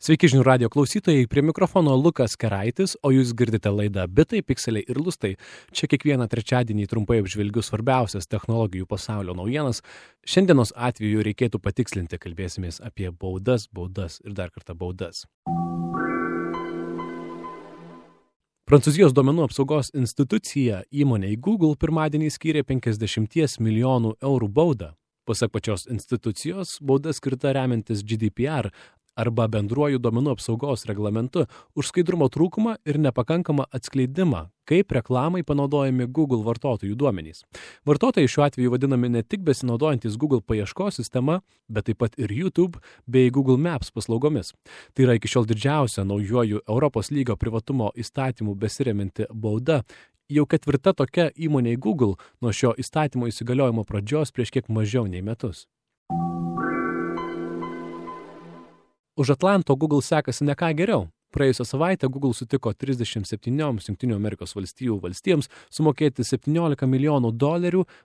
Sveiki žinių radijo klausytojai, prie mikrofono Lukas Keraitis, o jūs girdite laidą Bitai, Pikseliai ir Lustai. Čia kiekvieną trečiadienį trumpai apžvelgiu svarbiausias technologijų pasaulio naujienas. Šiandienos atveju reikėtų patikslinti, kalbėsimės apie baudas ir dar kartą baudas. Prancūzijos duomenų apsaugos institucija įmonei Google pirmadienį skyrė 50 milijonų eurų baudą. Pasak pačios institucijos, bauda skirta remiantis GDPR arba bendruoju duomenų apsaugos reglamentu už skaidrumo trūkumą ir nepakankamą atskleidimą, kaip reklamai panaudojami Google vartotojų duomenys. Vartotojai šiuo atveju vadinami ne tik besinaudojantis Google paieškos sistema, bet taip pat ir YouTube bei Google Maps paslaugomis. Tai yra iki šiol didžiausia naujuoju Europos lygio privatumo įstatymų besiremianti bauda. Jau ketvirta tokia įmonė Google nuo šio įstatymo įsigaliojimo pradžios prieš kiek mažiau nei metus. Už Atlanto Google sekasi ne ką geriau. Praėjusią savaitę Google sutiko 37 Jungtinių Amerikos valstijų valstijoms sumokėti $17 milijonų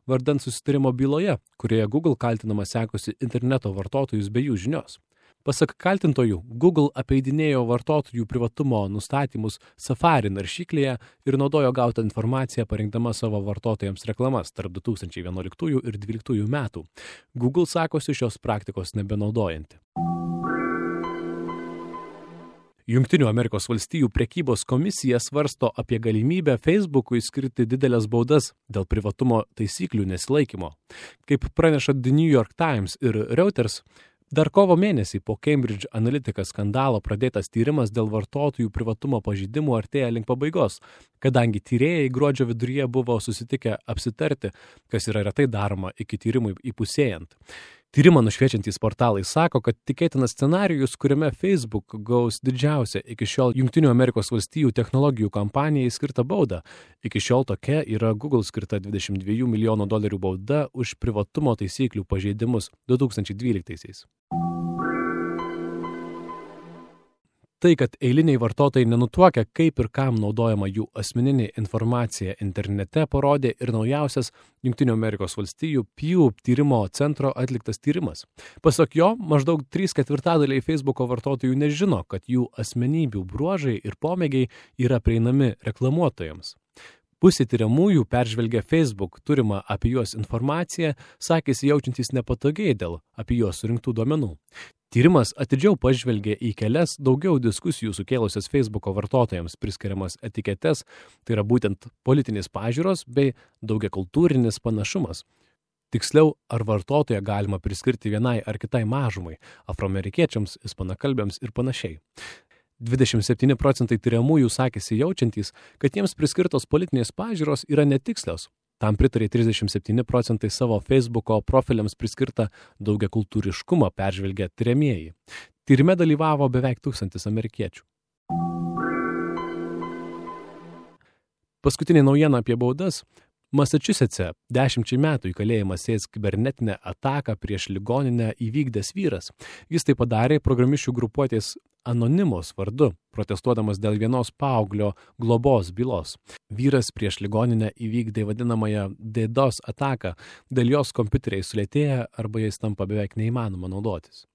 vardan susitarimo byloje, kurioje Google kaltinama sekusi interneto vartotojus be jų žinios. Pasak kaltintojų, Google apeidinėjo vartotojų privatumo nustatymus Safari naršyklėje ir naudojo gautą informaciją parinkdama savo vartotojams reklamas tarp 2011 ir 2012 metų. Google sakosi šios praktikos nebenaudojanti. Jungtinių Amerikos valstijų prekybos komisija svarsto apie galimybę Facebook'ui skirti didelės baudas dėl privatumo taisyklių nesilaikymo. Kaip praneša The New York Times ir Reuters, dar kovo mėnesį po Cambridge Analytica skandalo pradėtas tyrimas dėl vartotojų privatumo pažeidimų artėja link pabaigos, kadangi tyrėjai gruodžio viduryje buvo susitikę apsitarti, kas yra retai daroma iki tyrimui įpusėjant. Tyrimą nušviečiantys portalai sako, kad tikėtinas scenarijus, kuriame Facebook gaus didžiausią iki šiol Jungtinių Amerikos valstijų technologijų kompanijai skirtą baudą. Iki šiol tokia yra Google skirta $22 milijonų bauda už privatumo taisyklių pažeidimus 2012-aisiais. Tai, kad eiliniai vartotojai nenutuokia, kaip ir kam naudojama jų asmeninė informacija internete, parodė ir naujausias Jungtinių Amerikos valstijų Pew tyrimo centro atliktas tyrimas. Pasak jo, maždaug 3/4 Facebooko vartotojų nežino, kad jų asmenybių bruožai ir pomėgiai yra prieinami reklamuotojams. Pusė tyriamųjų peržvelgia Facebook turimą apie juos informaciją, sakėsi jaučiantys nepatogiai dėl apie juos surinktų duomenų. Tyrimas atidžiau pažvelgė į kelias daugiau diskusijų sukėlusias Facebooko vartotojams priskiriamas etiketes, tai yra būtent politinės pažiūros bei daugiakultūrinis panašumas. Tiksliau, ar vartotoją galima priskirti vienai ar kitai mažumai, afroamerikiečiams, ispanakalbiams ir panašiai. 27% tyriamųjų sakėsi jaučiantys, kad jiems priskirtos politinės pažiūros yra netikslios. Tam pritarė 37% savo Facebooko profiliams priskirtą daugiakultūriškumą peržvelgę tyriamieji. Tyrime dalyvavo beveik 1000 amerikiečių. Paskutinė naujiena apie baudas. Massachusetts'e 10 metų į kalėjimą sės kibernetinę ataką prieš ligoninę įvykdęs vyras. Jis tai padarė programišių grupuotės Anonymous vardu, protestuodamas dėl vienos paauglio globos bylos. Vyras prieš ligoninę įvykdė vadinamąją DDoS ataką, dėl jos kompiuteriai sulėtėja arba jais tampa beveik neįmanoma naudotis.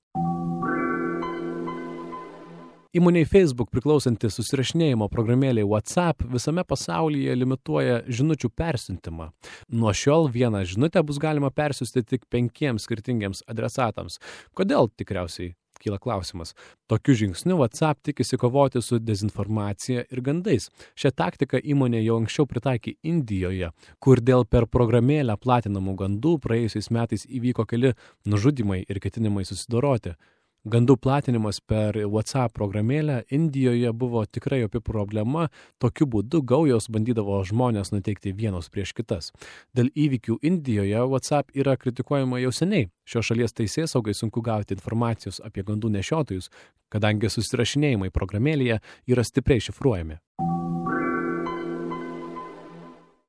Įmonei Facebook priklausanti susirašinėjimo programėlė WhatsApp visame pasaulyje limituoja žinučių persiuntimą. Nuo šiol vieną žinutę bus galima persiųsti tik 5 skirtingiems adresatams. Kodėl, tikriausiai kyla klausimas. Tokiu žingsniu WhatsApp tikisi kovoti su dezinformacija ir gandais. Šią taktiką įmonė jau anksčiau pritaikė Indijoje, kur dėl per programėlę platinamų gandų praėjusiais metais įvyko keli nužudymai ir ketinimai susidoroti. Gandų platinimas per WhatsApp programėlę Indijoje buvo tikrai opi problema, tokiu būdu gaujos bandydavo žmonės nuteikti vienos prieš kitas. Dėl įvykių Indijoje WhatsApp yra kritikuojama jau seniai. Šios šalies teisėsaugai sunku gauti informacijos apie gandų nešiotojus, kadangi susirašinėjimai programėlėje yra stipriai šifruojami.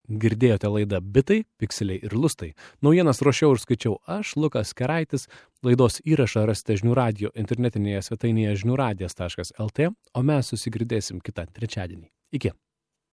Girdėjote laidą Bitai, Pikseliai ir Lustai. Naujienas ruošiau ir skaičiau aš, Lukas Keraitis. Laidos įrašą rasite žinių radijo internetinėje svetainėje žiniųradijas.lt, o mes susigirdėsim kitą trečiadienį. Iki.